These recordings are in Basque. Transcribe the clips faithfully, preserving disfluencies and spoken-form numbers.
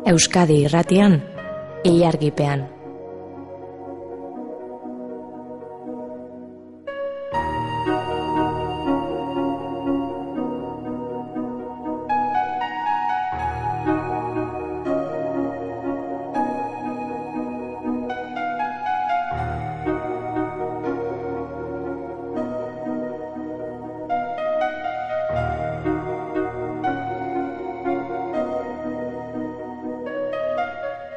Euskadi Irratian, Ilargipean.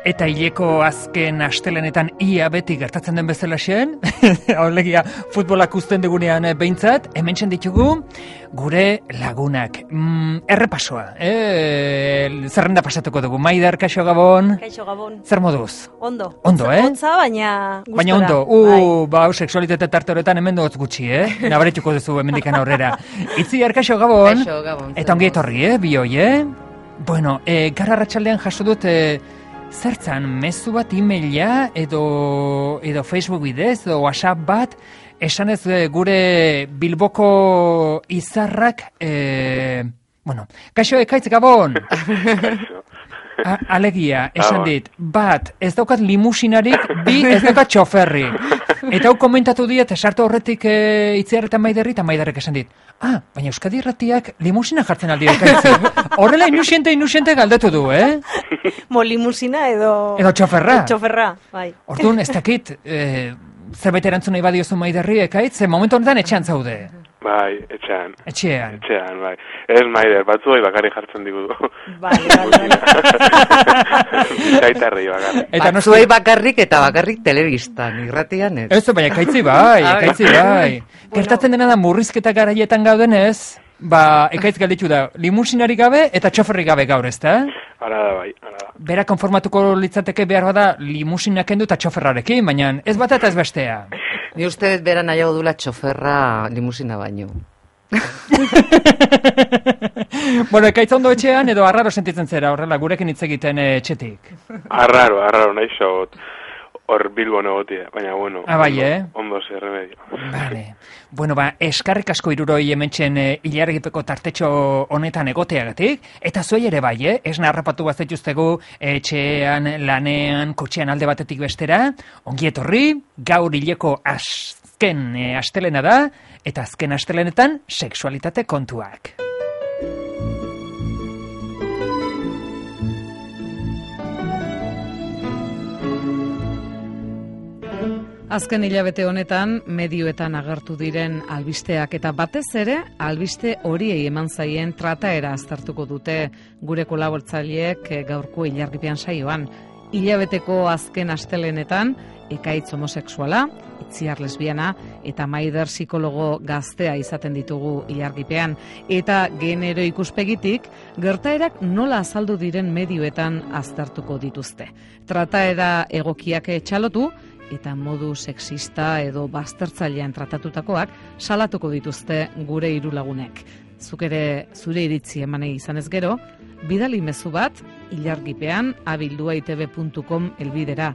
Eta hileko azken astelenetan ia beti gertatzen den bezalaxen, haulegia futbolak uzten dugunean behintzat, hemen ditugu gure lagunak. Mm, errepasoa, eh? Zerrenda pasatuko dugu. Maider, kaixo Gabon. Kaixo Gabon. Zer moduz? Ondo. Ondo, eh? Ontza, baina gustora. Baina ondo. Uh, ba, sexualitate tarte horretan hemen dut gutxi, eh? Nabarituko duzu hemendikan aurrera. Itziar, kaixo Gabon. Kaixo Gabon. Eta ongi etorri, eh? Bioi, eh? Bueno, eh, gara arratsaldean jaso dut... Eh, Zertzan, mezu bat e-maila edo, edo Facebook bidez, edo WhatsApp bat, esan ez gure Bilboko izarrak, e, bueno, kaixo ekaitz Gabon! A, alegia, esan dit, bat, ez daukat limusinarik, bi, ez daukat txoferri. Eta hau komentatu diet, esartu horretik e, Itziar eta Maiderri, eta Maiderrek esan dit, ah, baina Euskadi Irratiak limusina jartzen aldi ekaitzi. Horrela inusiente, inusiente galdetu du, eh? Mo limusina edo... Edo txoferra. Txoferra, bai. Orduan, ez dakit, e, zerbait erantzun nahi badiozu Maiderri ekaitz, ze momentu honetan etxean zaude. Bai, etxean. Etxean. Etxean, bai. Ez Maider, batzuei bakarrik jartzen digudu. Bale, bale, bale. Gaitarri bakarrik. Eta batzuei bakarrik eta bakarrik telebistan, irratian ez. Ez, baina ekaitzi bai, ekaitzi bai. Gertatzen dena da murrizketa garaietan gaudenez, ba, ekaitz galditu da, limusinarik gabe eta txoferrik gabe gaur, ez da? Hala da, bai, hala da. Bera konformatuko litzateke behar bada limusinak kendu eta txoferrarekin, baina ez bat eta ez bestea. Ni uste dut bera nahiago dula txoferra limusina baino. Bueno, ekaitz ondo etxean edo arraro sentitzen zera, horrela, gurekin hitz egiten etxetik. Arraro, arraro, nahi xot. Hor Bilbo negotia, baina bueno. Ah, bai, eh? Ondo zer remedio. Vale. Bueno, ba, eskarrik asko iruroi hementxen e, ilargipeko tartetxo honetan egoteagatik, eta zuei ere bai, eh? Esna harrapatu bazituztegu etxean, lanean, kotxean alde batetik bestera, ongi etorri, gaur hileko azken e, astelena da, eta azken astelenetan sexualitate kontuak. Azken hilabete honetan, medioetan agertu diren albisteak eta batez ere, albiste horiei eman zaien trataera aztertuko dute gure kolaboratzaileek gaurko Ilargipean saioan. Hilabeteko azken astelenetan, ekaitz homosexuala, Itziar lesbiana eta Maider psikologo gaztea izaten ditugu Ilargipean. Eta genero ikuspegitik, gertaerak nola azaldu diren medioetan aztertuko dituzte. Trataera egokiak txalotu, eta modu sexista edo baztertzailean tratatutakoak salatuko dituzte gure hiru lagunek. Zuk ere zure iritzi emanei izanez gero, bidali mezu bat ilargipean abildua itb puntu com elbidera,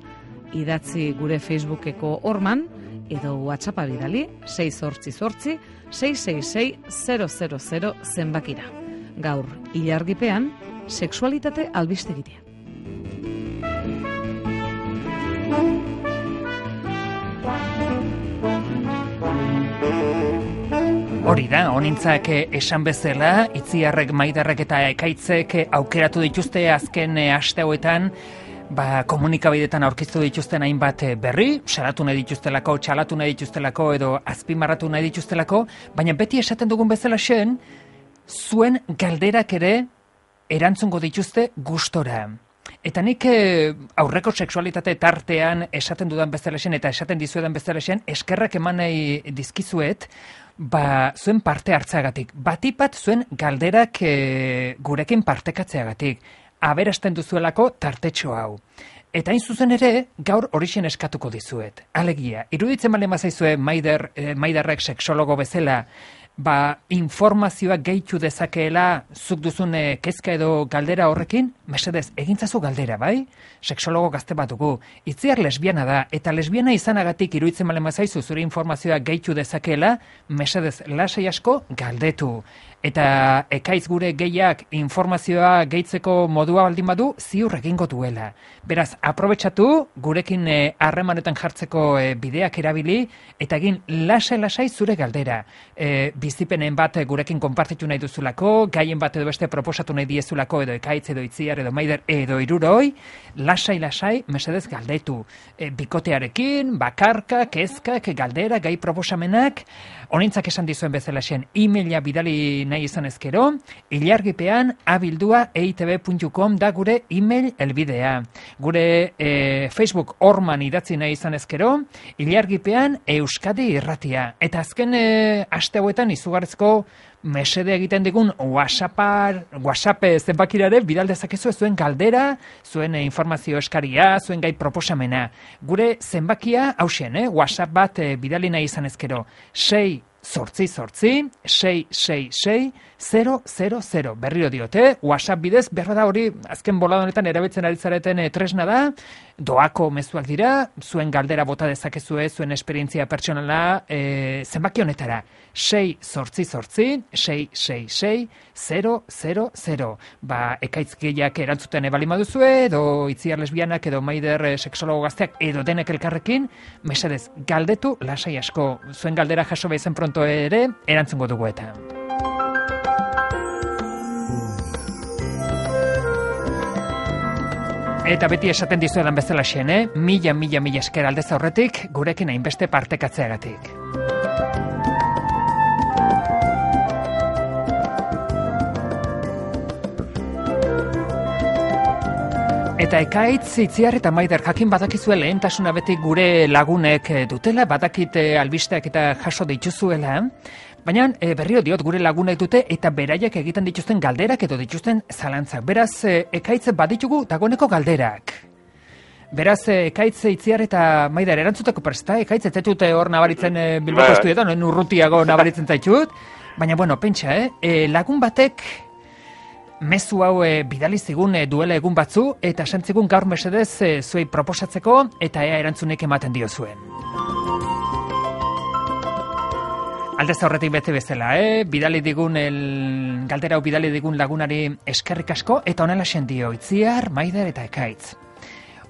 idatzi gure Facebookeko horman edo WhatsAppa bidali sei zortzi zortzi sei sei sei zero zero zero zenbakira. Gaur Ilargipean sexualitate albistegitea. Hori da, honintzak esan bezala, Itziarrek, Maiderrek eta ekaitzek aukeratu dituzte azken aste hauetan, ba, komunikabidetan aurkeztu dituzten hainbat berri, salatu nahi dituztelako, txalatu nahi dituztelako edo azpimarratu nahi dituztelako, baina beti esaten dugun bezala zen, zuen galderak ere erantzungo dituzte gustora. Eta nik aurreko sexualitate tartean esaten dudan bezalaxen eta esaten dizuedan bezalaxen eskerrak eman nahi dizkizuet, ba, zuen parte hartzeagatik. Batipat zuen galderak e, gurekin partekatzeagatik. Aberasten duzuelako tartetxo hau. Eta hain zuzen ere, gaur horixen eskatuko dizuet. Alegia, iruditzen bale mazaizue Maider, eh, Maiderrek sexologo bezala, ba, informazioa gehitu dezakeela zuk duzun eh, kezka edo galdera horrekin, mesedez, egintzazu galdera, bai? Sexologo gazte bat dugu. Itziar lesbiana da, eta lesbiana izanagatik iruditzen malen bazaizu zure informazioa gehitu dezakeela, mesedez, lasai asko galdetu. Eta ekaitz gure gehiak informazioa gehitzeko modua baldin badu, ziur egingo duela. Beraz, aprobetxatu gurekin harremanetan jartzeko e, bideak erabili, eta egin lasai-lasai zure galdera. E, bizipenen bat gurekin konpartitu nahi duzulako, gaien bat edo beste proposatu nahi diezulako, edo ekaitz, edo itziar, edo maider, edo iruroi, lasai-lasai, mesedez galdetu. E, bikotearekin, bakarka, kezkak, galdera, gai proposamenak, honintzak esan dizuen bezala zen, e-maila bidali nahi izan ezkero, ilargipean abildua e i te be puntu com da gure e-mail elbidea. Gure e, Facebook orman idatzi nahi izan ezkero, ilargipean Euskadi irratia. Eta azken e, aste hauetan izugarrizko mesede egiten digun WhatsAppar, WhatsApp zenbakirare bidal dezakezu zuen galdera, zuen informazio eskaria, zuen gai proposamena. Gure zenbakia hausen, eh? WhatsApp bat e, bidali nahi izan ezkero. sei Zortzi, zortzi, sei, sei, sei, zero, zero, zero. Berriro diote, WhatsApp bidez, berra da hori, azken bolada honetan erabiltzen ari zareten e, tresna da, doako mezuak dira, zuen galdera bota dezakezue, zuen esperientzia pertsonala, e, zenbaki honetara. sei, zortzi, zortzi, sei, sei, sei, zero, zero, zero. Ba, ekaitz gehiak erantzuten ebali maduzue, edo itziar lesbianak, edo maider e, sexologo gazteak, edo denek elkarrekin, mesedez, galdetu lasai asko. Zuen galdera jaso behizen pronto ere, erantzungo dugu eta. Eta beti esaten dizuedan bezala xen, eh? Mila, mila, mila esker aldez aurretik, gurekin hainbeste partekatzeagatik. Eta ekaitz, itziar eta maider jakin badakizue lehentasuna beti gure lagunek dutela, badakit albisteak eta jaso dituzuela, baina e, berrio diot gure lagunek dute eta beraiek egiten dituzten galderak edo dituzten zalantzak. Beraz, e, ekaitz baditugu dagoeneko galderak. Beraz, ekaitz, itziar eta maider erantzuteko presta, ekaitz, ez dute hor nabaritzen e, Bilboko estudietan, noen urrutiago nabaritzen zaitut, baina, bueno, pentsa, eh? E, lagun batek mezu hau e, bidali zigun e, duela egun batzu, eta santzigun gaur mesedez e, zuei proposatzeko, eta ea erantzunek ematen dio zuen. Aldez aurretik bete bezala, eh? Bidali digun, el... galdera hau bidali digun lagunari eskerrik asko, eta honela sendio, itziar, maider eta ekaitz.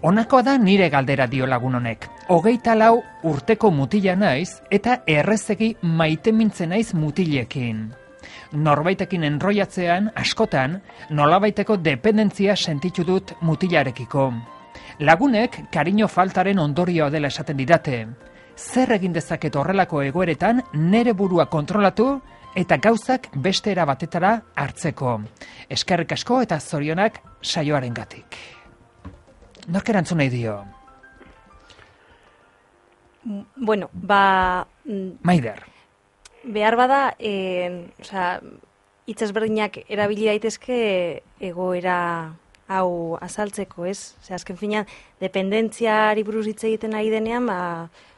Honakoa da nire galdera dio lagun honek. Hogeita lau urteko mutila naiz, eta errezegi maite mintzen naiz mutilekin. Norbaitekin enroiatzean, askotan, nolabaiteko dependentzia sentitu dut mutilarekiko. Lagunek kariño faltaren ondorioa dela esaten didate. Zer egin dezaket horrelako egoeretan nere burua kontrolatu eta gauzak beste era batetara hartzeko. Eskerrik asko eta zorionak saioarengatik. Nork erantzun nahi dio? Bueno, ba... Maider. Behar bada, e, osea, hitz ezberdinak erabili daitezke egoera hau azaltzeko, ez? Osea, azken finean, dependentziari buruz hitz egiten ari denean, ba,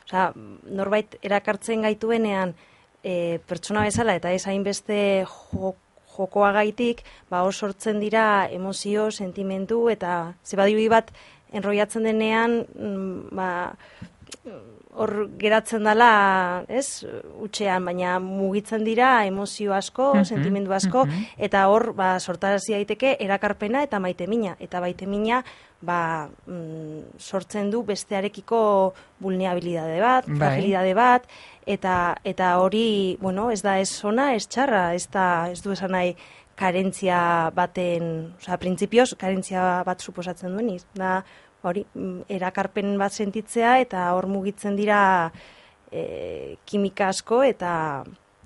osea, norbait erakartzen gaituenean e, pertsona bezala eta ez hainbeste jo, jokoagaitik, ba, hor sortzen dira emozio, sentimendu eta zebadibui bat enroiatzen denean, ba, hor geratzen dela, ez, utxean, baina mugitzen dira emozio asko, uh-huh, sentimendu asko, uh-huh. Eta hor, ba, sortarazi daiteke erakarpena eta maitemina. Eta maitemina, ba, mm, sortzen du bestearekiko vulnerabilidade bat, bai. Fragilidade bat, eta eta hori, bueno, ez da ez ona, ez txarra, ez da, ez du esan nahi karentzia baten, osea, printzipioz, karentzia bat suposatzen duen, da, hori, erakarpen bat sentitzea eta hor mugitzen dira e, kimika asko eta...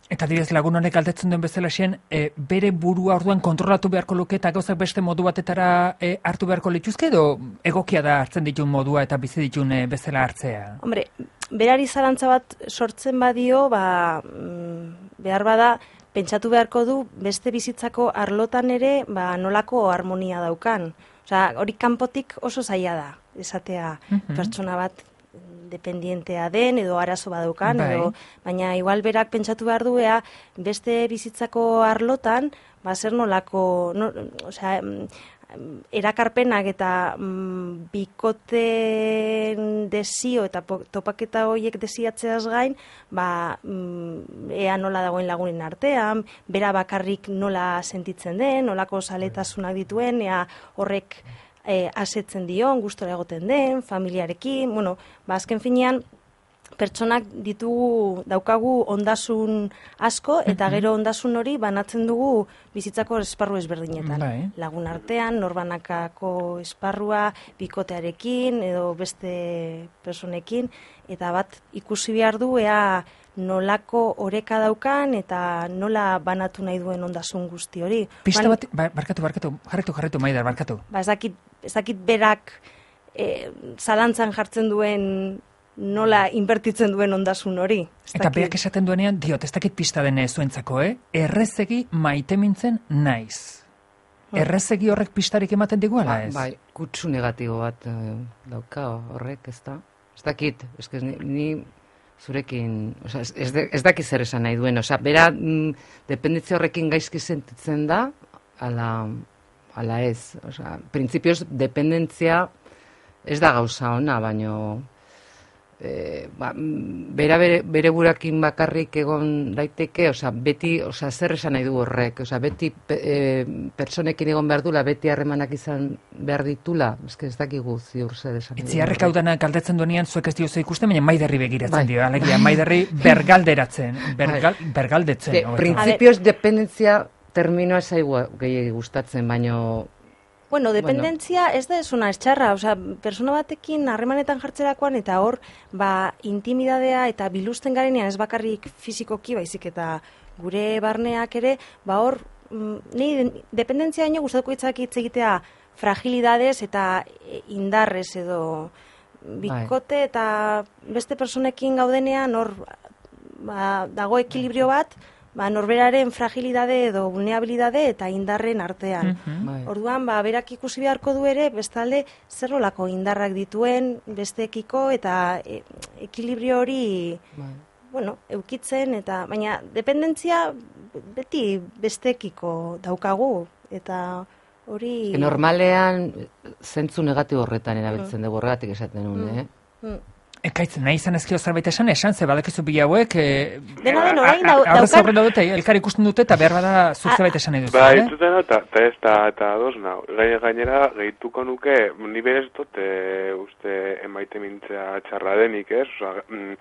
Eta direz lagun honek galdetzen duen bezala xen, e, bere burua orduan kontrolatu beharko luke eta gauzak beste modu batetara e, hartu beharko lituzke edo egokia da hartzen ditun modua eta bizi ditun e, bezala hartzea? Hombre, berari zalantza bat sortzen badio, ba, behar bada, pentsatu beharko du beste bizitzako arlotan ere ba, nolako harmonia daukan. Osea, hori kanpotik oso zaila da, esatea uh-huh. Pertsona bat dependientea den edo arazo badaukan, Bai. edo, baina igual berak pentsatu behar du ea beste bizitzako arlotan, ba, zer nolako, no, osea, erakarpenak eta mm, bikoten desio eta po, topaketa horiek desiatzeaz gain, ba, mm, ea nola dagoen lagunen artean, bera bakarrik nola sentitzen den, nolako zaletasunak dituen, ea horrek e, asetzen dion, gustora egoten den, familiarekin, bueno, ba, azken finean, pertsonak ditugu daukagu ondasun asko eta gero ondasun hori banatzen dugu bizitzako esparru ezberdinetan. Bai. Lagun artean, norbanakako esparrua, bikotearekin edo beste personekin, eta bat ikusi behar du ea nolako oreka daukan eta nola banatu nahi duen ondasun guzti hori. Pista Ban- bat, ba, barkatu, barkatu, jarritu, jarritu, Maider, barkatu. Ba, ez dakit, ez dakit berak e, zalantzan jartzen duen nola inbertitzen duen ondasun hori. Ez Eta dakit. berak esaten duenean, diot, ez dakit pista den zuentzako, eh? Errezegi maite mintzen naiz. Errezegi horrek pistarik ematen digu, ala ez? Bai, kutsu negatibo bat eh, dauka horrek, ez da? Ez dakit, ez ni, ni zurekin, oza, ez, ez, de- ez dakit zer esan nahi duen, oza, bera mm, dependentzia horrekin gaizki sentitzen da, ala, ala ez, oza, printzipioz dependentzia ez da gauza ona, baino e, ba, mm, bera bere, bere burakin bakarrik egon daiteke, oza, beti, oza, zer esan nahi du horrek, oza, beti pe, e, pertsonekin egon behar dula, beti harremanak izan behar ditula, eske ez dakigu ziur zer esan nahi du Itziarrek hau horrek. dana galdetzen duenean zuek ez diozu ikusten, baina Maiderri begiratzen Bai. dio. Alegia, Maiderri bergalderatzen, bergal, bergaldetzen. De, hobeto. printzipioz dependentzia terminoa zaigu gehiagi gustatzen, baino Bueno, dependentzia ez da esuna estxarra, osea, persona batekin harremanetan jartzerakoan eta hor, ba, intimidadea eta biluzten garenean ez bakarrik fizikoki, baizik eta gure barneak ere, ba hor, mm, ni dependentzia daño gustatuko itzak hitz egitea fragilidades eta e, indarrez edo bikote eta beste personekin gaudenean hor ba, dago ekilibrio bat, ba, norberaren fragilidade edo vulnerabilidade eta indarren artean. Mhm. bai. Orduan, ba, berak ikusi beharko du ere, bestalde, zer nolako indarrak dituen besteekiko eta e, ekilibrio hori, bai. bueno, eukitzen, eta baina dependentzia beti besteekiko daukagu, eta hori... E, normalean zentzu negatibo horretan erabiltzen dugu, horregatik esaten nuen, eh? Mm. Ekaitz, nahi izan ezkio zerbait esan, esan, ze badakizu bila hauek... E, Dena den orain dau- Aurrez daukan- aurre dute, elkar ikusten dute, eta behar bada zuk A- zerbait esan nahi duzu, Ba, eh? entzuten eta eta ez da, eta ados nau. Gai- Gainera, gehituko nuke, ni berez dut, e, uste emaite mintzea txarra denik, ez? Osa, mm,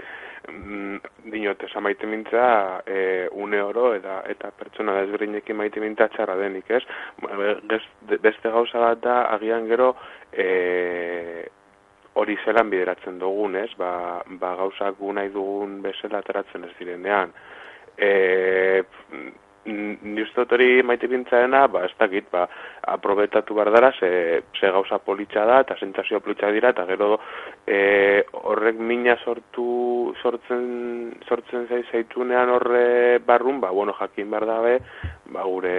mm, dinot, esan maite mintzea e, une oro eta, eta pertsona desberdinekin maite mintzea txarra denik, ez? Gez- Beste gauza bat da, agian gero, e, hori zelan bideratzen dugun, ez? Ba, ba gauzak gu nahi dugun bezala ateratzen ez direnean. E, ni uste dut hori maite bintzaena, ba, ez dakit, ba, aprobetatu behar dara, ze, ze gauza politxa da, eta sentsazio politxa dira, eta gero e, horrek mina sortu, sortzen, sortzen zai zaitunean horre barrun, ba, bueno, jakin behar dabe, ba, gure,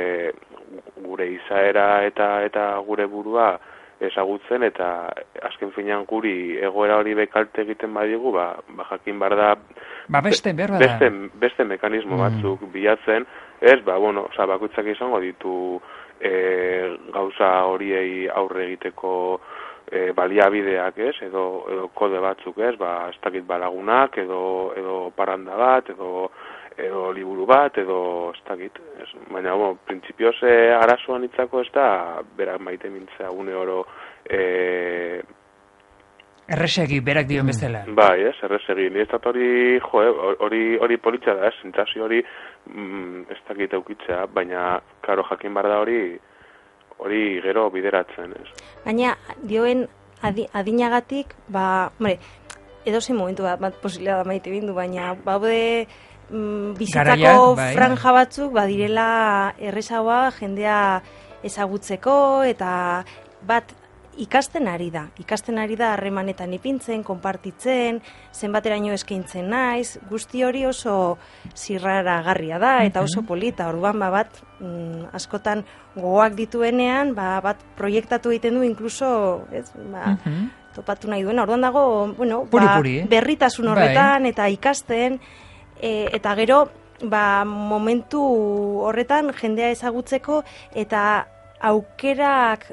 gure izaera eta, eta gure burua, ezagutzen eta azken finean guri egoera hori bekalte egiten badigu, ba, ba jakin behar da Ba, beste, behar bada. beste, beste mekanismo batzuk bilatzen, ez, ba, bueno, oza, bakoitzak izango ditu e, gauza horiei aurre egiteko e, baliabideak, ez, edo, edo kode batzuk, ez, ba, ez dakit balagunak, edo, edo paranda bat, edo edo liburu bat, edo ez dakit. Ez, baina, bueno, printzipioz e, arazoan itzako ez da, berak maite mintzea une oro e, Erresegi, berak dio bezala. bai, ez, errezegi. Ni ez dut hori, jo, eh, hori, hori politxa da, ez, sentsazio hori mm, ez dakit eukitzea, baina, karo, jakin behar da hori, hori gero bideratzen, ez. Baina, dioen adi, adinagatik, ba, hombre, edozein momentu bat, bat posibilidad da maite bindu, baina, baude mm, bizitzako Garaiak, bai. franja batzuk, badirela errezagoa jendea ezagutzeko, eta bat ikasten ari da. Ikasten ari da harremanetan ipintzen, konpartitzen, zenbateraino eskaintzen naiz, guzti hori oso zirraragarria da, eta oso polita, orduan ba, bat mm, askotan gogoak dituenean, ba, bat proiektatu egiten du inkluso, ez, ba, topatu nahi duena. Orduan dago, bueno, Puri, ba, puri, eh? berritasun Bai. horretan eta ikasten, e, eta gero, ba, momentu horretan jendea ezagutzeko eta aukerak,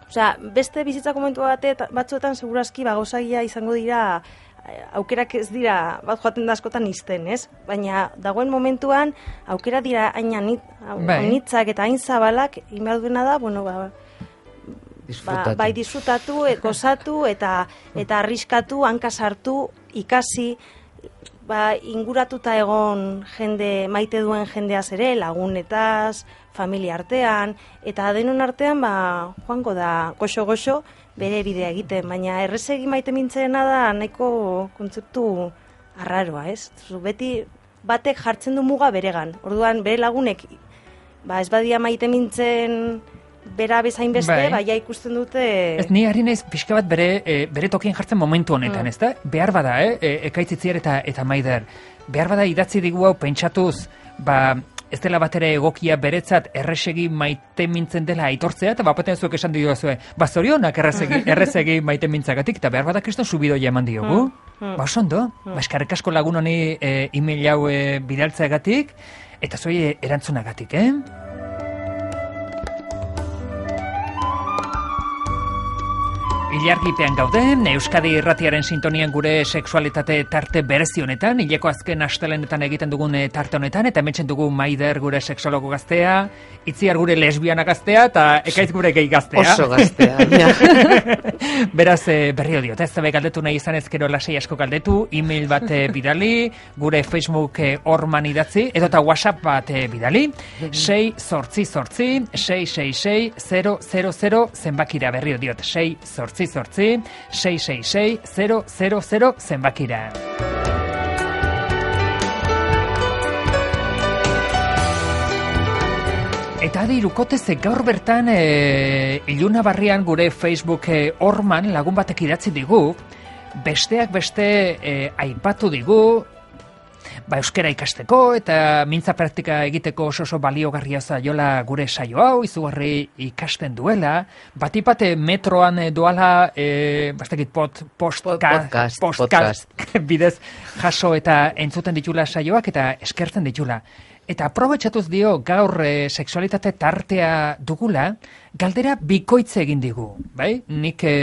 osea, beste bizitza momentu bate, batzuetan segurazki ba, gozagia izango dira, aukerak ez dira, bat joaten da askotan izten, ez? Baina dagoen momentuan, aukera dira hain Bai. anitzak eta hain zabalak, inbehar duena da, bueno, ba, Disfrutatu. Ba, bai disfrutatu, e, gozatu eta eta arriskatu, hanka sartu, ikasi, ba, inguratuta egon jende, maite duen jendeaz ere, lagunetaz, familia artean, eta denon artean, ba, joango da, goxo-goxo, bere bidea egiten, baina errezegi maite mintzena da nahiko kontzeptu arraroa, ez? Zu beti batek jartzen du muga beregan, orduan bere lagunek, ba, ez badia maite mintzen bera bezain beste, Bai. baia ikusten dute... Ez ni ari naiz pixka bat bere, e, bere tokien jartzen momentu honetan, Mm. ez da? Behar bada, eh? E, ekaitzitziar eta, eta maider. Behar bada idatzi digu hau pentsatuz, ba, ez dela batera egokia beretzat erresegi maite mintzen dela aitortzea, eta bapaten zuek esan diozue, ba zorionak errezegi, errezegi maite mintzagatik, eta behar bada kriston subidoia eman diogu. Mm. Ba, oso ondo, ba, eskerrik asko lagun honi e, email hau e, bidaltzeagatik, eta zoi e, erantzunagatik, eh? Ilargipean gaude, Euskadi Irratiaren sintonian gure sexualitate tarte berezi honetan, hileko azken astelenetan egiten dugun eh, tarte honetan, eta hemen dugu Maider gure sexologo gaztea, Itziar gure lesbiana gaztea, eta Ekaitz gure gay gaztea. Oso gaztea. Beraz, eh, berrio diot, ez zabe galdetu nahi izan ezkero lasei asko galdetu, e-mail bat eh, bidali, gure Facebook eh, orman idatzi, edo eta WhatsApp bat eh, bidali, sei sortzi sortzi, sei sei sei, zero zero zero zenbakira, berrio diot, sei sortzi sortzi, sei sei sei, zero zero zero zenbakira. Eta adi irukotez, gaur bertan e, Iluna Barrian gure Facebook e, orman lagun batek idatzi digu, besteak beste e, aipatu digu, ba, euskera ikasteko eta mintza praktika egiteko oso oso baliogarria zaiola gure saio hau, izugarri ikasten duela, batipate metroan e, doala, e, bastakit pot, postka, Podcast, podcast, bidez jaso eta entzuten ditula saioak eta eskertzen ditula. Eta aprobetxatuz dio gaur e, sexualitate tartea dugula, galdera bikoitze egin digu, bai? Nik e,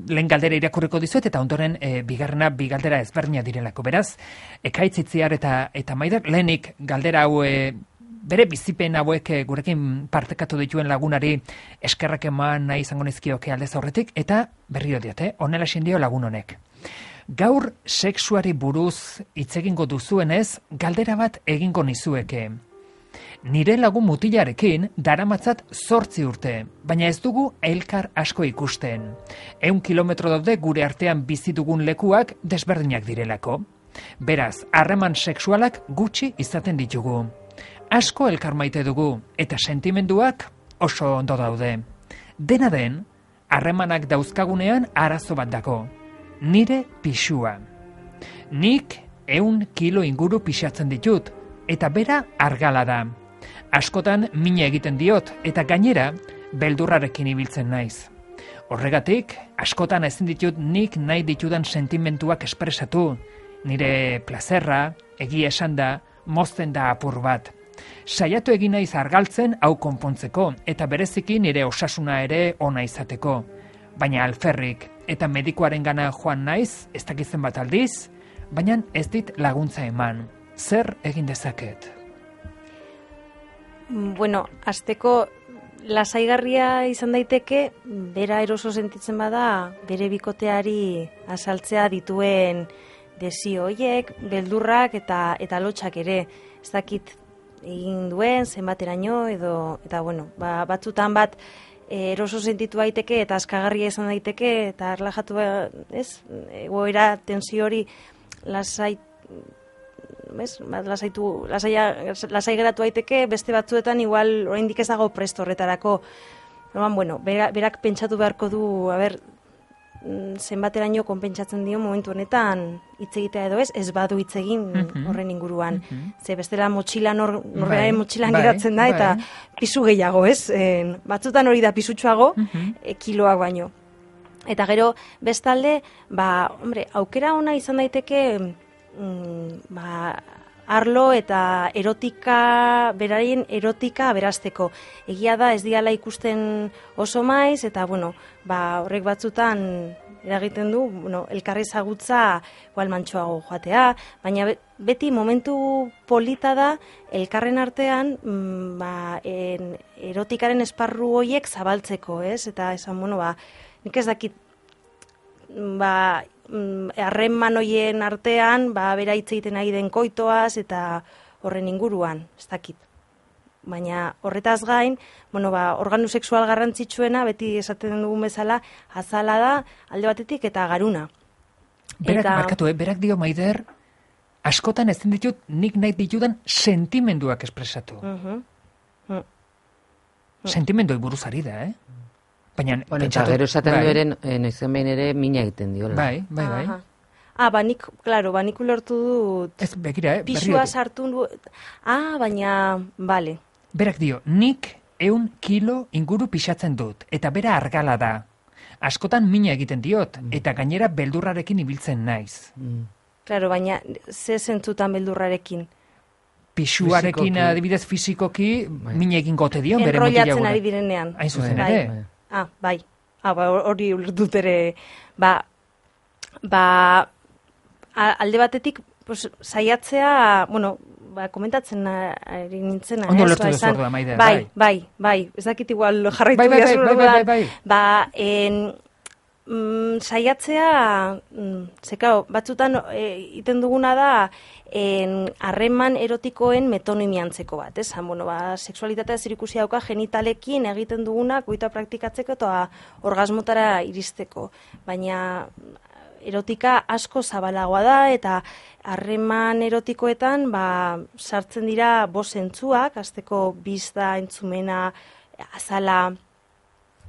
lehen galdera irakurriko dizuet eta ondoren e, bigarrena bi galdera ezberdina direlako. Beraz, Ekaitzitziar eta eta Maider, lehenik galdera hau e, bere bizipen hauek e, gurekin partekatu dituen lagunari eskerrak eman nahi izango nizkioke aldez aurretik, eta berrio diote, honela esan dio lagun honek. Gaur sexuari buruz hitz egingo duzuenez, galdera bat egingo nizueke. Nire lagun mutilarekin daramatzat zortzi urte, baina ez dugu elkar asko ikusten. Ehun kilometro daude gure artean bizi dugun lekuak desberdinak direlako. Beraz, harreman sexualak gutxi izaten ditugu. Asko elkar maite dugu, eta sentimenduak oso ondo daude. Dena den, harremanak dauzkagunean arazo bat dago. Nire pixua. Nik ehun kilo inguru pixatzen ditut, eta bera argala da. Askotan mina egiten diot, eta gainera beldurrarekin ibiltzen naiz. Horregatik, askotan ezin ditut nik nahi ditudan sentimentuak espresatu. Nire plazerra, egia esan da, mozten da apur bat. Saiatu egin naiz argaltzen hau konpontzeko, eta bereziki nire osasuna ere ona izateko. Baina alferrik, eta medikuaren gana joan naiz, ez dakitzen bat aldiz, baina ez dit laguntza eman. Zer egin dezaket? Bueno, azteko lasaigarria izan daiteke, bera eroso sentitzen bada, bere bikoteari azaltzea dituen desio hoiek, beldurrak eta eta lotxak ere. Ez dakit egin duen, zenbateraino, edo, eta bueno, ba, batzutan bat, eroso sentitu daiteke eta askagarria izan daiteke eta erlajatu, ez, egoera tensio hori lasai, ez, lasaitu, lasaia, lasai geratu daiteke, beste batzuetan igual oraindik ez dago presto horretarako. Orduan, bueno, berak, berak pentsatu beharko du, a ber, zenbateraino konpentsatzen dio momentu honetan hitz egitea edo ez, ez badu hitz egin Mhm. horren inguruan. Mhm. Ze bestela motxila nor, norberaren Bai, motxilan bai, geratzen da, eta bai. pisu gehiago, ez? E, batzutan hori da pisutsuago, Mhm. e, kiloak baino. Eta gero, bestalde, ba, hombre, aukera ona izan daiteke, mm, ba, arlo eta erotika, beraien erotika aberasteko. Egia da, ez diala ikusten oso maiz, eta, bueno, ba, horrek batzutan eragiten du, bueno, elkarri zagutza igual mantxoago joatea, baina beti momentu polita da elkarren artean mm, ba, en, erotikaren esparru horiek zabaltzeko, ez? Eta esan, bueno, ba, nik ez dakit, ba, harreman hoien artean, ba, bera hitz egiten ari den koitoaz, eta horren inguruan, ez dakit. Baina horretaz gain, bueno, ba, organu sexual garrantzitsuena, beti esaten dugun bezala, azala da, alde batetik eta garuna. Berak, eta... markatu, eh? Berak dio Maider, askotan ezin ditut nik nahi ditudan sentimenduak espresatu. Uh-huh. Uh-huh. Sentimenduei buruz ari da, eh? Baina, bueno, pentsatu, eta gero esaten bai, du eren, noizen behin ere mina egiten diola. Bai, bai, bai. Aha. Ah, banik, claro, banik ulertu dut. Ez, begira, eh? Pisua berriro. sartu du. Ah, baina, bale. Berak dio, nik eun kilo inguru pixatzen dut, eta bera argala da. Askotan mina egiten diot, eta gainera beldurrarekin ibiltzen naiz. Mm. Claro, baina ze zentzutan beldurrarekin. Pisuarekin Fisikoki. adibidez fizikoki Bai. mina egin gote dio, bere Enrollatzen mutilagura. ari direnean. Hain zuzen Bai. ere. Bai. Ah, bai. Ah, ba, hori ulertut ere, ba, ba, a- alde batetik, pues, saiatzea, bueno, ba, komentatzen ari nintzena, Ondo ez? ulertu Ba, duzu esan- orduan, Maider, bai, bai. bai, bai, ez dakit igual jarraitu Bai, bai, bai, didazu bai, bai, orduan. bai, bai. Ba, en, mm, saiatzea, mm, ze, claro, batzutan e, iten duguna da, en, harreman erotikoen metonimiantzeko bat, ez? Han, bueno, ba, sexualitatea zerikusia dauka genitalekin egiten duguna, koita praktikatzeko eta orgasmotara iristeko. Baina erotika asko zabalagoa da, eta harreman erotikoetan ba, sartzen dira bost zentzuak, hasteko bizda, entzumena, azala,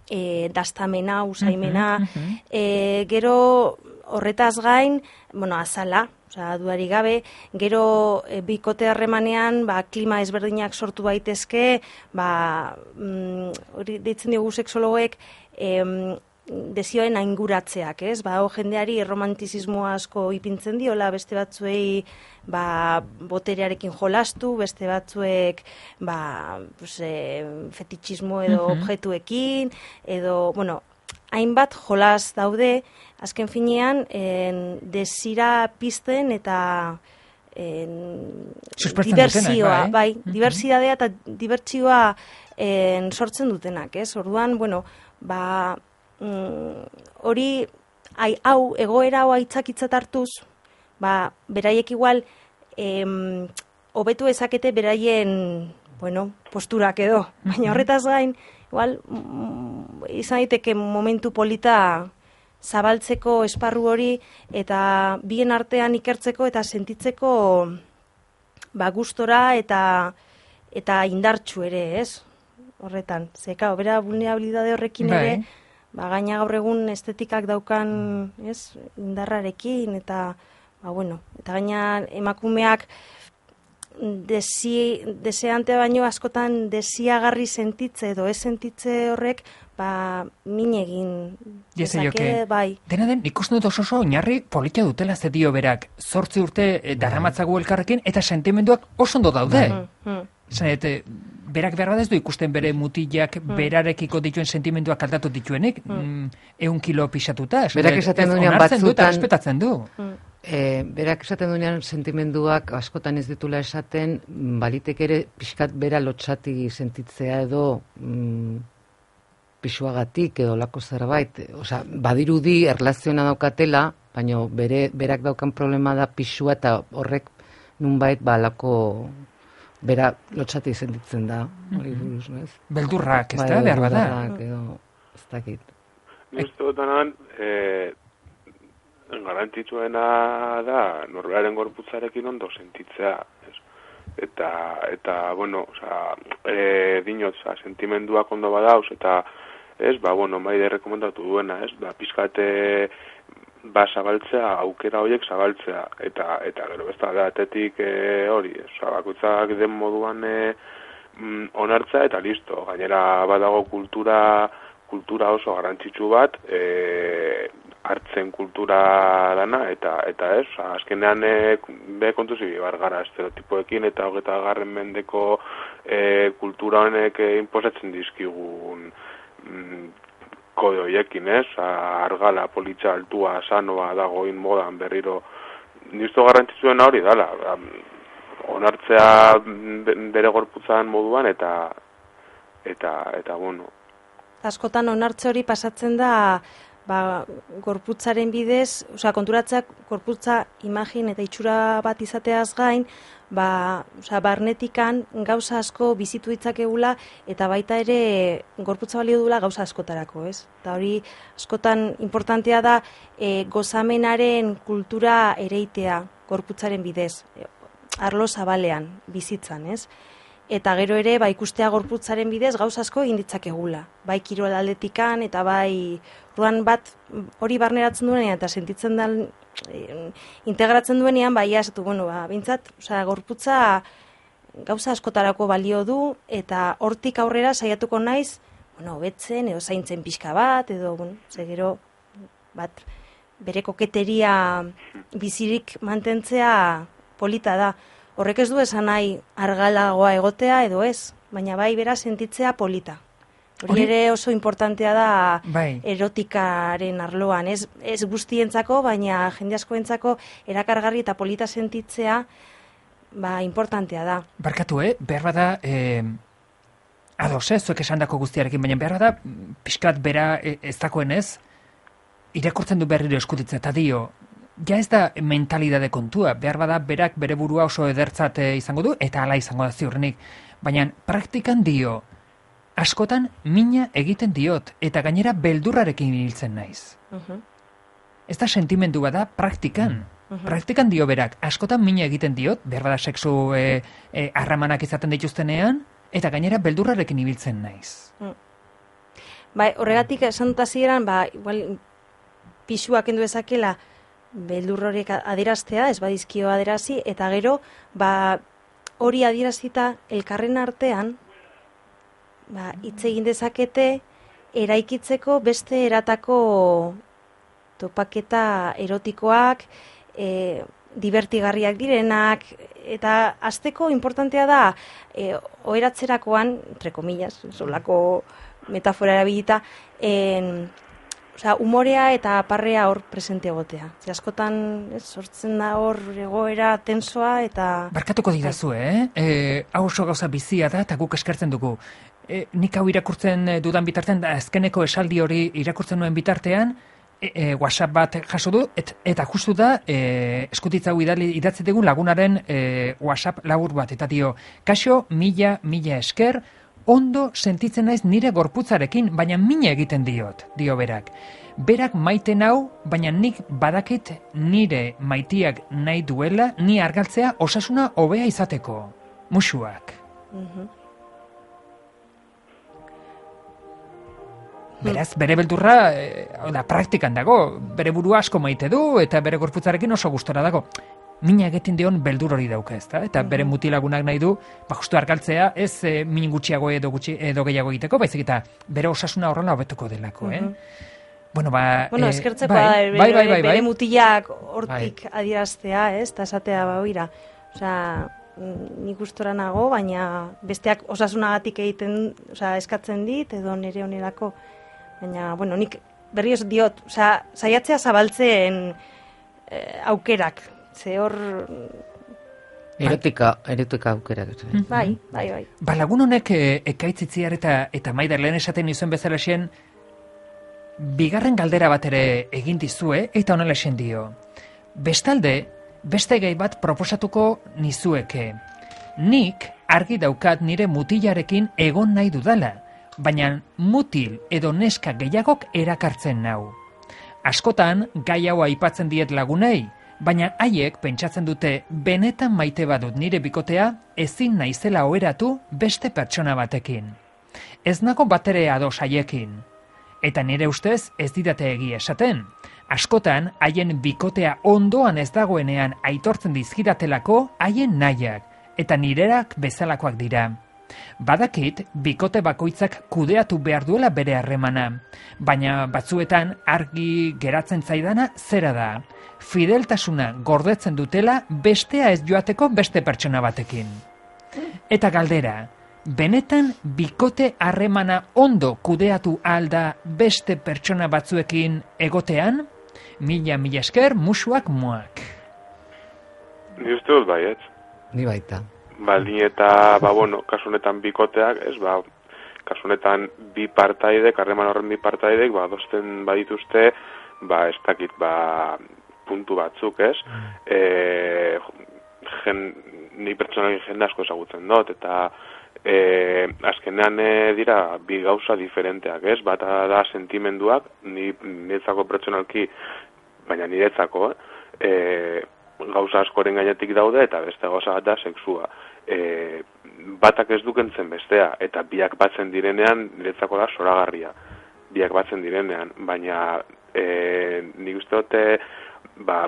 e, dastamena, usaimena, Mhm, mhm. e, gero horretaz gain, bueno, azala, osea, dudarik gabe, gero e, bikote harremanean, ba, klima ezberdinak sortu baitezke, ba, mm, hori deitzen diogu sexologoek, em, desioen ainguratzeak, ez? Ba, hau jendeari erromantizismo asko ipintzen diola, beste batzuei ba, boterearekin jolastu, beste batzuek ba, pues, e, fetitxismo edo Mhm. objektuekin, edo, bueno, hainbat jolas daude, azken finean, en, desira pizten eta en, Suspertzen diversioa, dutenak, bai. bai, Mhm. diversidadea eta divertsioa en, sortzen dutenak, ez? Orduan, bueno, ba, mm, hori, ai, hau, egoera hau aitzakitzat hartuz, ba, beraiek igual, em, hobetu ezakete beraien, bueno, posturak edo, baina horretaz gain, igual, mm, izan daiteke momentu polita zabaltzeko esparru hori, eta bien artean ikertzeko eta sentitzeko ba, gustora eta eta indartsu ere, ez? Horretan, ze, claro, bera vulnerabilidade horrekin Bai. ere, ba, gaina gaur egun estetikak daukan, ez, indarrarekin, eta, ba, bueno, eta gaina emakumeak desi, deseante baino askotan desiagarri sentitze edo ez sentitze horrek, ba, min egin Diezaioke. bai. Dena den, ikusten dut oso oso oinarri polita dutela ze dio berak. Zortzi urte eh, daramatzagu elkarrekin eta sentimenduak oso ondo daude. Mm, mm. Zan, et, berak behar badez du ikusten bere mutilak berarekiko dituen sentimenduak aldatu dituenik, mm. eun kilo pixatuta. esan Berak dut, esaten ez duenean onartzen du eta batzutan- respetatzen du. E, berak esaten duenean sentimenduak askotan ez ditula esaten, mm, balitek ere pixkat bera lotxati sentitzea edo mm, pisuagatik edo lako zerbait. Osea, badirudi erlaziona daukatela, baina bere, berak daukan problema da pisua eta horrek nunbait ba lako bera lotxati sentitzen da. Hori buruz, ez? Beldurrak, ez Bai, da, behar bada. beldurrak edo, ez dakit. Ni uste dut anan, e, garrantzitsuena da norberaren gorputzarekin ondo sentitzea, ez? Eta, eta, bueno, oza, e, dinot, oza, sentimenduak ondo badauz, eta, ez, ba, bueno, maide rekomendatu duena, ez, ba, pizkate, ba, zabaltzea, aukera horiek zabaltzea, eta, eta gero, ez da, atetik e, hori, ez, oza, bakoitzak den moduan e, mm, onartza, eta listo, gainera badago kultura, kultura oso garrantzitsu bat, e, hartzen kultura dana, eta eta ez, azkenean e, be kontuzi bar gara estereotipoekin eta hogeta garren mendeko e, kultura honek e, inposatzen dizkigun mm, kode horiekin, ez? Argala, politxa, altua, sanoa, dagoin modan berriro, nizto garrantzitsuena hori dala, onartzea bere gorputzan moduan eta eta eta bueno. Askotan onartze hori pasatzen da ba, gorputzaren bidez, osea konturatzeak gorputza imagin eta itxura bat izateaz gain, ba, osea barnetikan gauza asko bizitu ditzakegula eta baita ere gorputza balio duela gauza askotarako, ez? Eta hori askotan importantea da e, gozamenaren kultura ereitea gorputzaren bidez, e, arlo zabalean bizitzan, ez? Eta gero ere, ba, ikustea gorputzaren bidez gauz asko egin ditzakegula. Bai kirol aldetikan eta bai ruan bat hori barneratzen duenean eta sentitzen da e, integratzen duenean, bai esatu, bueno, ba, bintzat, osea, gorputza gauza askotarako balio du eta hortik aurrera saiatuko naiz, bueno, betzen edo zaintzen pixka bat edo, bueno, ze gero bat bere koketeria bizirik mantentzea polita da. Horrek ez du esan nahi argalagoa egotea edo ez, baina bai bera sentitzea polita. Hori ere oso importantea da bai. Erotikaren arloan, ez, ez guztientzako, baina jende askoentzako erakargarri eta polita sentitzea ba, importantea da. Barkatu, eh? Behar bada, eh, ados, eh? Zuek esandako guztiarekin, baina behar bada, pixkat bera ez dakoen ez, irakurtzen du berriro eskutitzen, eta dio, ja ez da mentalidade kontua, behar bada berak bere burua oso edertzat izango du, eta hala izango da ziurrenik. Baina praktikan dio, askotan mina egiten diot, eta gainera beldurrarekin hiltzen naiz. Uh-huh. Ez da sentimendu bada praktikan. Uh-huh. Praktikan dio berak, askotan mina egiten diot, behar bada sexu e, e, harramanak izaten dituztenean, eta gainera beldurrarekin ibiltzen naiz. Uh. Bai, horregatik esan dut hasieran, ba, igual, pixuak endu ezakela, beldur horiek adieraztea, ez badizkio adierazi, eta gero, ba, hori adierazita elkarren artean, ba, hitz egin dezakete, eraikitzeko beste eratako topaketa erotikoak, e, divertigarriak direnak, eta hasteko importantea da, e, oheratzerakoan, entre comillas, solako metafora erabilita, en, osea, umorea eta parrea hor presente egotea. Ze askotan, ez, sortzen da hor egoera tensoa eta... Barkatuko didazu, eh? E, hau oso gauza bizia da eta guk eskertzen dugu. E, nik hau irakurtzen dudan bitartean, da azkeneko esaldi hori irakurtzen nuen bitartean, e, e, WhatsApp bat jaso du, et, eta justu da, e, eskutitza hau idatzi dugun lagunaren e, WhatsApp labur bat, eta dio, kaixo, mila, mila esker, ondo sentitzen naiz nire gorputzarekin, baina mina egiten diot, dio berak. Berak maite nau, baina nik badakit nire maitiak nahi duela, ni argaltzea osasuna hobea izateko. Musuak. Uh-huh. Beraz, bere beldurra, e, da, praktikan dago, bere burua asko maite du, eta bere gorputzarekin oso gustora dago. Mina egiten dion beldur hori dauka, ezta? Eta bere mutilagunak nahi du, ba justu argaltzea, ez e, min gutxiago edo gutxi edo gehiago egiteko, baizik eta bere osasuna horrela hobetuko delako, eh? Uh-huh. Bueno, ba, bueno, eh, eskertzeko bai, da, bere, bai, bai, bai, bere bai. mutilak hortik bai. adieraztea, ez? Ta esatea ba hoira. Osea, nik gustora nago, baina besteak osasunagatik egiten, osea, eskatzen dit edo nire onerako. Baina, bueno, nik berrioz diot, osea, saiatzea zabaltzen eh, aukerak. Ze hor... Erotika, erotika aukera. Bai, bai, bai. Ba, lagun honek e, ekaitzitziar eta, eta Maider lehen esaten nizuen bezala xen, bigarren galdera bat ere egin dizue, eta honela xen dio. Bestalde, beste gai bat proposatuko nizueke. Nik argi daukat nire mutilarekin egon nahi dudala, baina mutil edo neska gehiagok erakartzen nau. Askotan, gai hau aipatzen diet lagunei, baina haiek pentsatzen dute benetan maite badut nire bikotea ezin naizela oheratu beste pertsona batekin. Ez nago batere ados haiekin. Eta nire ustez ez didate egia esaten. Askotan haien bikotea ondoan ez dagoenean aitortzen dizkidatelako haien nahiak, eta nirerak bezalakoak dira. Badakit, bikote bakoitzak kudeatu behar duela bere harremana, baina batzuetan argi geratzen zaidana zera da. Fideltasuna gordetzen dutela bestea ez joateko beste pertsona batekin. Eta galdera, benetan bikote harremana ondo kudeatu alda beste pertsona batzuekin egotean? Mila, mila esker, musuak moak. Ni uste dut bai, ez? Ni baita. Baldin eta, ba, bueno, kasunetan bikoteak, ez, ba, kasunetan bi partaidek, harreman horren bi partaidek, ba, adosten badituzte, ba, ez dakit, ba, puntu batzuk, ez? E, gen, ni pertsonalin jende asko ezagutzen dut, eta e, azkenean e, dira bi gauza diferenteak, ez? Bata da sentimenduak, ni niretzako pertsonalki, baina niretzako, eh? E, gauza askoren gainetik daude, eta beste gauza bat da sexua. E, batak ez dukentzen bestea, eta biak batzen direnean, niretzako da zoragarria. Biak batzen direnean, baina e, nik uste dute, ba,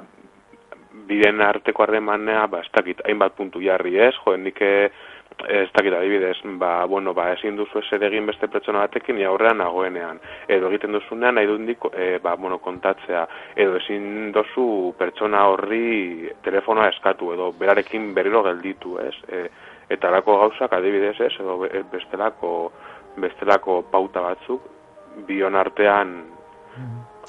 biren arteko harremanea, ba, ez dakit, hainbat puntu jarri ez, jo, nik ez dakit adibidez, ba, bueno, ba, ezin duzu ezer egin beste pertsona batekin, ni aurrean nagoenean, edo egiten duzunean nahi dundik, e, ba, bueno, kontatzea, edo ezin duzu pertsona horri telefonoa eskatu, edo berarekin berriro gelditu, ez, e, eta lako gauzak adibidez ez, edo bestelako, bestelako pauta batzuk, bion artean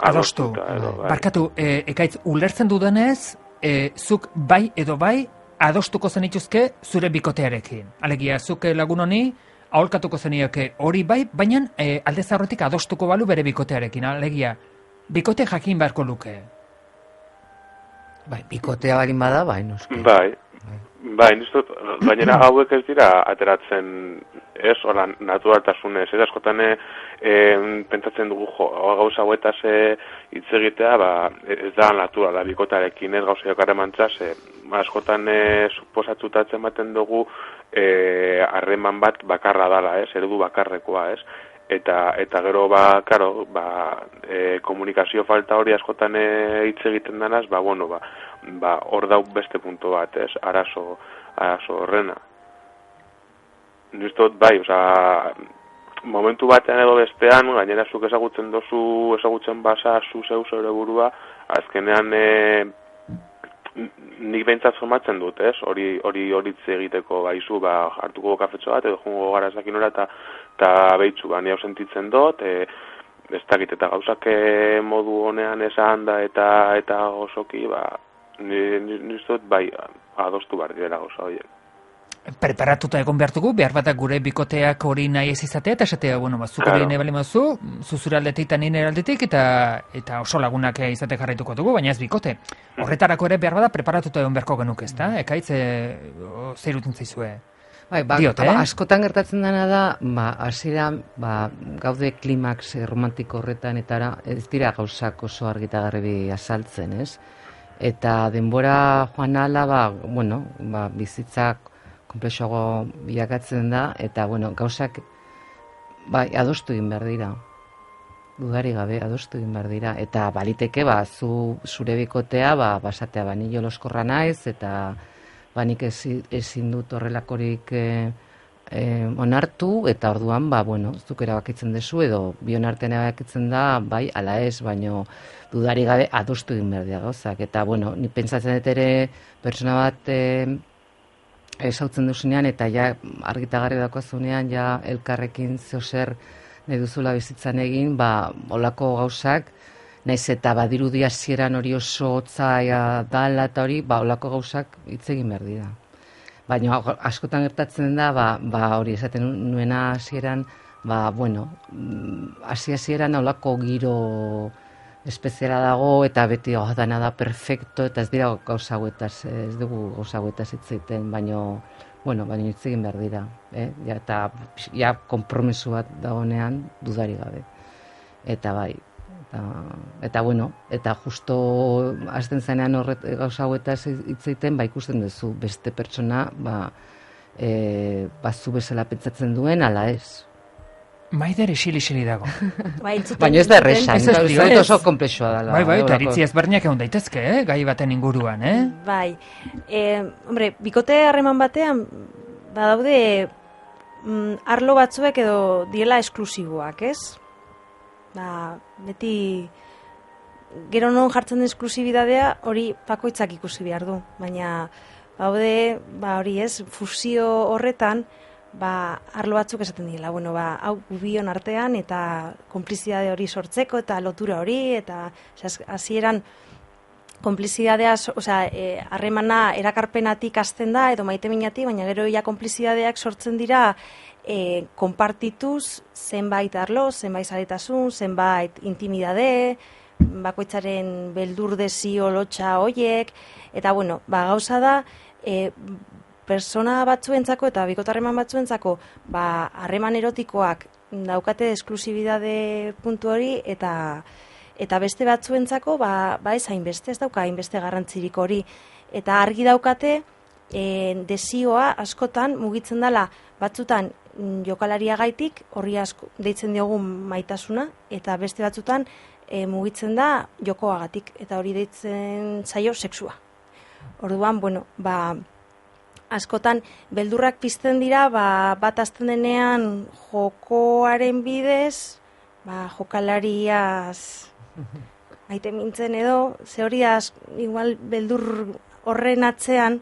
adostu. Edo, bai. Barkatu, e, ekaitz, ulertzen dudanez, e, zuk bai edo bai, adostuko zenituzke zure bikotearekin. Alegia, zuk lagun honi, aholkatuko zenioke hori bai, baina e, alde zaurretik adostuko balu bere bikotearekin. Alegia, bikote jakin beharko luke. Bai, bikotea balin bada, bai, noski. Bai, bai, nizut, gainera hauek ez dira ateratzen, ez, hola, naturaltasunez, ez, askotan e, pentsatzen dugu, jo, gauza hauetaz hitz egitea, ba, ez da naturala, bikotarekin, ez, gauza jokarremantzaz, e, askotan e, suposatzutatzen baten dugu harreman e, bat bakarra dala, ez, eredu bakarrekoa, ez, eta eta gero ba claro, ba e, komunikazio falta hori askotan hitz e, egiten danaz, ba bueno, ba ba hor dau beste puntu bat, ez, arazo arazo horrena. Nistot bai, osea, momentu batean edo bestean, gainera zuk ezagutzen dozu, ezagutzen basa zu zeu zeure burua, azkenean e, nik behintzat somatzen dut, ez? Hori hori horitz egiteko baizu, ba hartuko kafetxo bat edo jungo gara ez dakinora eta ta beitzu, ba ni hau sentitzen dut, e, ez dakit eta gauzak e, modu honean esan da eta eta osoki, ba ni ni dut bai adostu bar direla gauza horiek. Preparatuta egon behartugu, behar batak gure bikoteak hori nahi ez izatea, eta esatea, bueno, ba, zuk hori nahi bali mazu, zuzure aldetik eta nire aldetik, eta, eta oso lagunak izate jarraituko dugu, baina ez bikote. Horretarako ere behar bada preparatuta egon beharko genuk ez da, ekaitz, e, zer utin zaizue? Bai, ba, Diot, eh? ba, askotan gertatzen dena da, ba, hasieran, ba, gaude klimaks romantiko horretan, eta ara, ez dira gauzak oso argita garbi azaltzen, ez? Eta denbora joan ala, ba, bueno, ba, bizitzak konplexoago bilakatzen da, eta, bueno, gauzak, bai, adostu egin behar dira. Dudari gabe, adostu egin behar dira. Eta baliteke, ba, zu, zure bikotea, ba, basatea, ba, ni joloskorra naiz, eta ba, nik ezin dut horrelakorik e, e, onartu, eta orduan, ba, bueno, zuk erabakitzen dezu, edo bion artean erabakitzen da, bai, ala ez, baino dudari gabe adostu egin behar dira gauzak. Eta, bueno, ni pentsatzen dut ere, pertsona bat, e, esautzen duzunean, eta ja argitagarri dakoazunean, ja elkarrekin zeozer nahi duzula bizitzan egin, ba, olako gauzak, naiz eta badirudi hasieran hori oso hotza dala eta hori, ba, olako gauzak hitz egin behar dira. Baina askotan gertatzen da, ba, ba hori esaten nuena hasieran, ba, bueno, hasi hasieran olako giro espeziala dago, eta beti oh, dana da perfecto, eta ez dira gauza hauetaz, ez dugu gauza hauetaz hitz egiten, baino, bueno, baina hitz egin behar dira, eh? Ja, eta ja konpromiso bat dagoenean dudari gabe. Eta bai, eta, eta bueno, eta justo hasten zenean horret gauza hauetaz hitz egiten, ba ikusten duzu beste pertsona, ba, e, ba zu bezala pentsatzen duen, ala ez. Maider isili-isili dago. Baina ez da erresa, ez oso komplexua dela. Bai, bai, eta iritzi ezberdinak egon daitezke, eh? Gai baten inguruan, eh? Bai, e, hombre, bikote harreman batean, badaude mm, arlo batzuek edo diela esklusiboak, ez? Ba, beti gero non jartzen den esklusibidadea hori bakoitzak ikusi behar du, baina baude, ba hori ez, fusio horretan, ba, arlo batzuk esaten dira, bueno, ba, hau gubion artean eta konplizidade hori sortzeko eta lotura hori, eta hasieran konplizidadea, osea, harremana e, erakarpenatik hasten da edo maiteminatik, baina gero ja konplizidadeak sortzen dira e, konpartituz zenbait arlo, zenbait zaretasun, zenbait intimidade, bakoitzaren beldur desio lotxa hoiek, eta bueno, ba, gauza da, e, persona batzuentzako eta bikotarreman batzuentzako ba harreman erotikoak daukate esklusibidade puntu hori eta eta beste batzuentzako ba ba ez hainbeste, ez dauka hainbeste garrantzirik hori, eta argi daukate e, desioa askotan mugitzen dela batzutan jokalariagaitik, horri asko deitzen diogu maitasuna, eta beste batzutan e, mugitzen da jokoagatik, eta hori deitzen zaio sexua. Orduan, bueno, ba askotan beldurrak pizten dira, ba, bat azten denean jokoaren bidez, ba, jokalariaz maite mintzen edo, ze hori az, igual beldur horren atzean,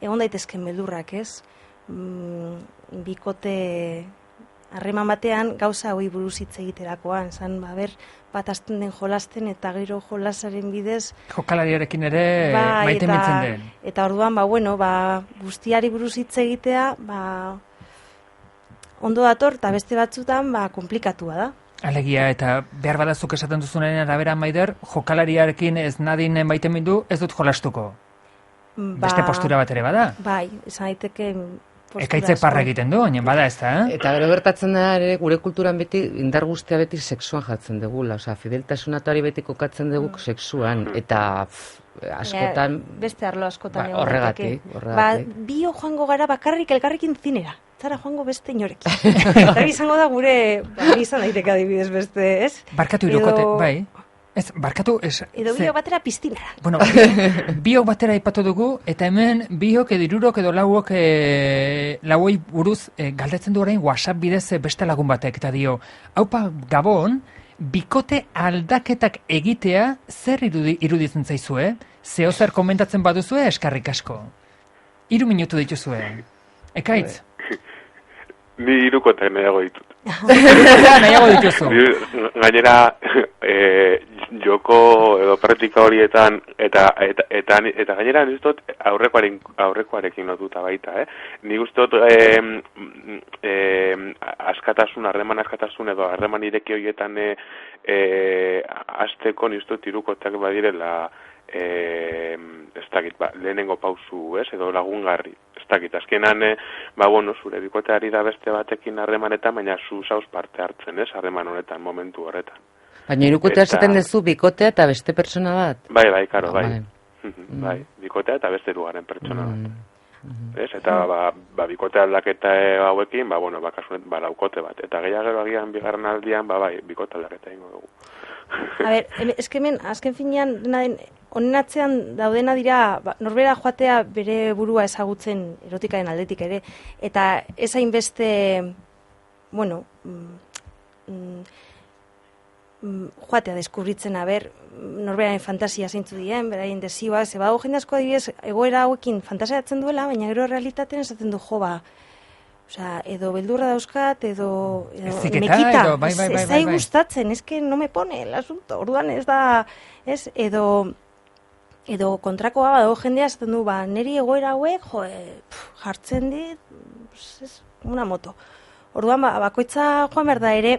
egon daitezken beldurrak, ez? Mm, bikote harreman batean gauza hori buruz hitz egiterakoan, zan, ba, ber, bat azten den jolasten eta gero jolasaren bidez jokalariarekin ere ba, maite mintzen den. Eta orduan, ba, bueno, ba, guztiari buruz hitz egitea, ba, ondo dator, eta beste batzutan, ba, komplikatua da. Alegia, eta behar badazuk esaten duzunaren arabera, Maider, jokalariarekin ez nadin maite mindu, ez dut jolastuko. Ba, beste postura bat ere bada? Bai, esan daiteke ekaitze parra egiten du, oinen bada ez da, eh? Eta gero gertatzen da ere, gure kulturan beti, indar guztia beti sexuan jartzen dugula, osea, fideltasunatuari beti kokatzen dugu mm. sexuan, eta pff, askotan... Ja, beste arlo askotan ba, horregatik, horregatik. Ba, bio joango gara bakarrik elkarrekin zinera, zara joango beste inorekin. Eta izango da gure, ba, izan daiteke adibidez beste, ez? Barkatu irukote, Edo... bai. Ez, barkatu... Ez, edo biok batera piztinara. Bueno, biok batera ipatu dugu, eta hemen biok edo irurok edo lauok e, lauoi buruz e, galdetzen du orain WhatsApp bidez beste lagun batek, eta dio, haupa Gabon, bikote aldaketak egitea zer irudi, iruditzen zaizue? Zeo zer komentatzen baduzue eskarrik asko? Hiru minutu dituzue. Ekaitz? Ni irukotek nahiago ditut. Nahiago dituzu. Gainera, e, joko edo praktika horietan, eta eta, eta, eta gainera nik dut aurrekoaren, aurrekoarekin lotuta baita, eh? Nik uste dut e, e, askatasun, harreman askatasun edo harreman ireki horietan e, e, azteko nik uste dut irukotek badirela e, ez dakit, ba, lehenengo pausu, ez, edo lagungarri. Dakit, azkenan, eh, ba, bueno, zure bikoteari da beste batekin harremanetan, baina zu zauz parte hartzen, ez, harreman honetan, momentu horretan. Baina irukotea esaten dezu bikotea eta beste pertsona bat? Bai, bai, karo, bai. Bai, mm. bai, bikotea eta beste lugaren pertsona bat. Mm. Ez, eta, ba, ba bikote aldaketa hauekin, ba, bueno, ba, kasunet, ba, laukote bat. Eta gehiagero agian bigarren aldian, ba, bai, bikote aldaketa ingo dugu. A ber, eskemen, azken finean, honen atzean daudena dira, ba, norbera joatea bere burua ezagutzen erotikaren aldetik ere, eta ez hainbeste, bueno, mm, mm, joatea deskubritzen, a ber, norberaren fantasia zeintzu dien, beraien desioa, ze badago jende asko adibidez, egoera hauekin fantasiatzen duela, baina gero realitatean esaten du jo, ba, osea, edo beldurra dauzkat, edo, edo Ziketa, mekita, edo, bai, bai, bai, ez da bai, bai. gustatzen, ez que no me pone el asunto, orduan ez da, ez, edo, edo kontrakoa badago jendea esaten du, ba, niri egoera hauek, jo, e, pf, jartzen dit, ez, una moto. Orduan, ba, bakoitza joan behar da ere,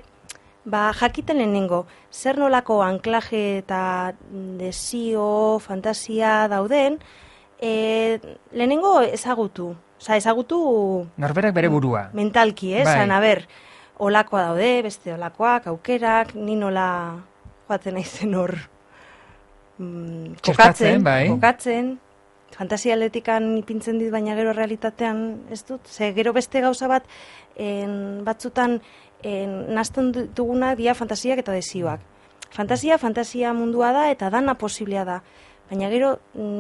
ba, jakiten lehenengo, zer nolako anklaje eta desio, fantasia dauden, e, lehenengo ezagutu. Osa, ezagutu... Norberak bere burua. Mentalki, eh? Bai. Zan, a ber, olakoa daude, beste olakoak, aukerak, ni nola joatzen naizen hor mm, kokatzen, bai. kokatzen, fantasia aldetikan ipintzen dit, baina gero realitatean ez dut. Ze gero beste gauza bat, en, batzutan en, nazten dugunak dia fantasiak eta desioak. Fantasia, fantasia mundua da eta dana posiblea da. Baina gero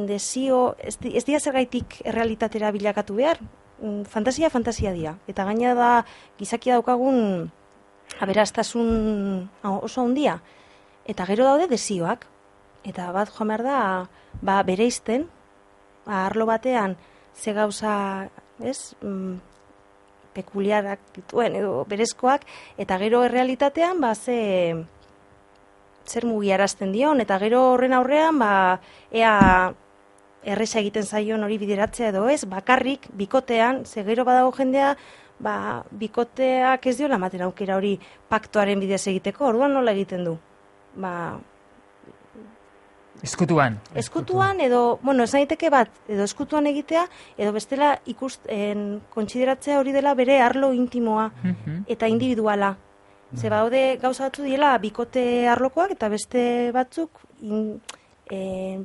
desio, ez, ez dira zergaitik errealitatera bilakatu behar. mm, fantasia, fantasia dira. Eta gaina da, gizakia daukagun aberastasun oso handia. Eta gero daude desioak. Eta bat joan behar da, ba, bereizten, ba, arlo batean, ze gauza, ez, mm, pekuliarak dituen edo berezkoak, eta gero errealitatean, ba, ze, zer mugiarazten dion, eta gero horren aurrean, ba, ea erresa egiten zaion hori bideratzea edo ez, bakarrik, bikotean, ze gero badago jendea, ba, bikoteak ez diola ematen aukera hori paktoaren bidez egiteko, orduan nola egiten du? Ba, Eskutuan. Eskutuan edo, bueno, esan daiteke bat, edo eskutuan egitea, edo bestela ikusten kontsideratzea hori dela bere arlo intimoa eta individuala. Ze baude gauza batzu diela bikote arlokoak eta beste batzuk in, eh,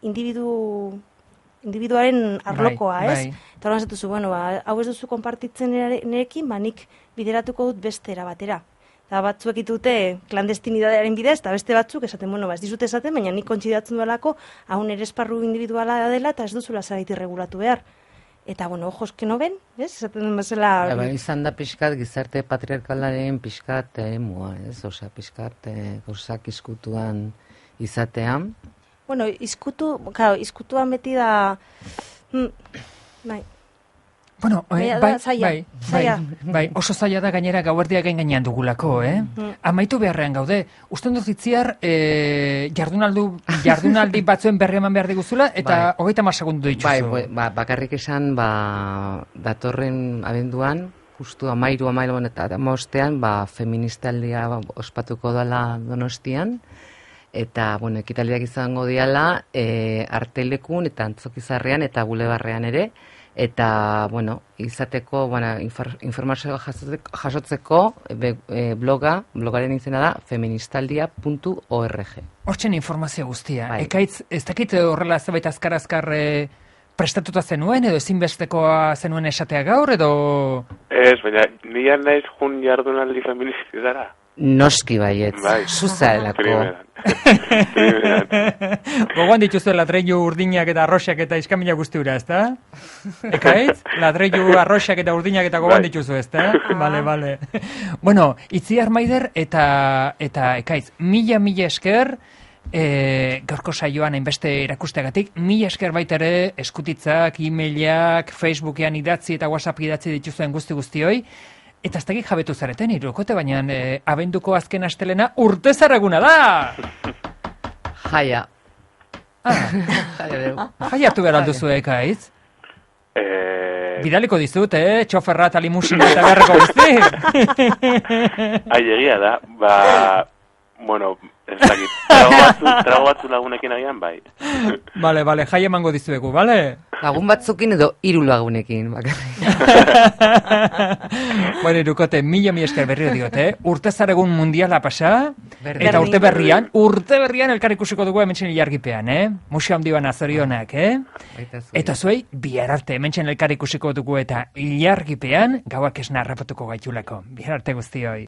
individu, individuaren arlokoa, bai, ez? bai. Eta horan zatuzu, bueno, ba, hau ez duzu konpartitzen nerekin, ba, nik bideratuko dut beste era batera. Eta batzuek ditute klandestinidadearen bidez, eta beste batzuk esaten, bueno, ba, ez dizute esaten, baina nik kontsideratzen duelako, hau nire esparru individuala dela, eta ez duzula zaraiti regulatu behar. Eta, bueno, ojos que no ven, ez? Esaten duen bezala... Ba, izan da pixkat gizarte patriarkalaren pixkat emua, ez? Osea, pixkat eh, gauzak izkutuan izatean. Bueno, izkutu, claro, izkutuan beti da... Mm, bai. Bueno, eh, Baina da bai, zaila, bai, zaila. bai, bai, oso zaila da gainera gauerdia gain gainean dugulako, eh? Mm. Amaitu beharrean gaude. Usten dut itziar, eh, jardunaldu, jardunaldi batzuen berri eman behar diguzula, eta Bai. hogeita hamar segundu dituzu. Bai, bai, ba, bakarrik esan, ba, datorren abenduan, justu amairu, amairu eta amaostean, ba, feministaldia ospatuko dela Donostian, eta, bueno, ekitaldiak izango diala, e, artelekun eta antzokizarrean eta bulebarrean ere, eta, bueno, izateko, bueno, infor, informazioa jasotzeko, jasotzeko be, e, bloga, blogaren izena da feministaldia puntu org. Hortzen informazio guztia. Bai. Ekaitz, ez dakit horrela zerbait azkar-azkar eh, prestatuta zenuen, edo ezinbestekoa zenuen esatea gaur, edo... Ez, baina, nian naiz jun jardunaldi feministizara. Noski baiet, Bai. zuzaelako. Primeran. Primeran. Gogoan dituzu ladreilu urdinak eta arroxak eta iskamila guztiura, ezta? Ekaitz? Ladreilu arroxak eta urdinak eta gogoan Bai. dituzu, ezta? Bale, bale. Bueno, Itziar Maider eta eta Ekaitz, mila mila esker, e, gaurko saioan hainbeste erakusteagatik, mila esker baita ere eskutitzak, e-mailak, Facebookean idatzi eta WhatsApp idatzi dituzuen guzti guztioi. Eta ez dakik jabetu zareten, irukote, baina e, abenduko azken astelena urte zaraguna da! Jaia. Ah, jaiatu behar alduzu, Ekaitz? Eh, Bidaliko dizut, eh? Txoferra eta limusina eta beharreko guzti. Ai, egia da, ba, bueno, ez dakit, trago batzu, trago batzu lagunekin agian, bai. Bale, bale, jai emango dizuegu, bale? Lagun batzukin edo hiru lagunekin, bakarrik. Bueno, irukote, mila mi esker berriro diot, eh? Urte zaregun mundiala pasa, Berdin. eta urte berrian, urte berrian elkar ikusiko dugu hementsen ilargipean, eh? Musio handi bana zorionak, eh? Baita zuei. Eta zuei, bihar arte hementsen elkar ikusiko dugu eta ilargipean, gauak esna harrapatuko gaitulako. Bihar arte guztioi.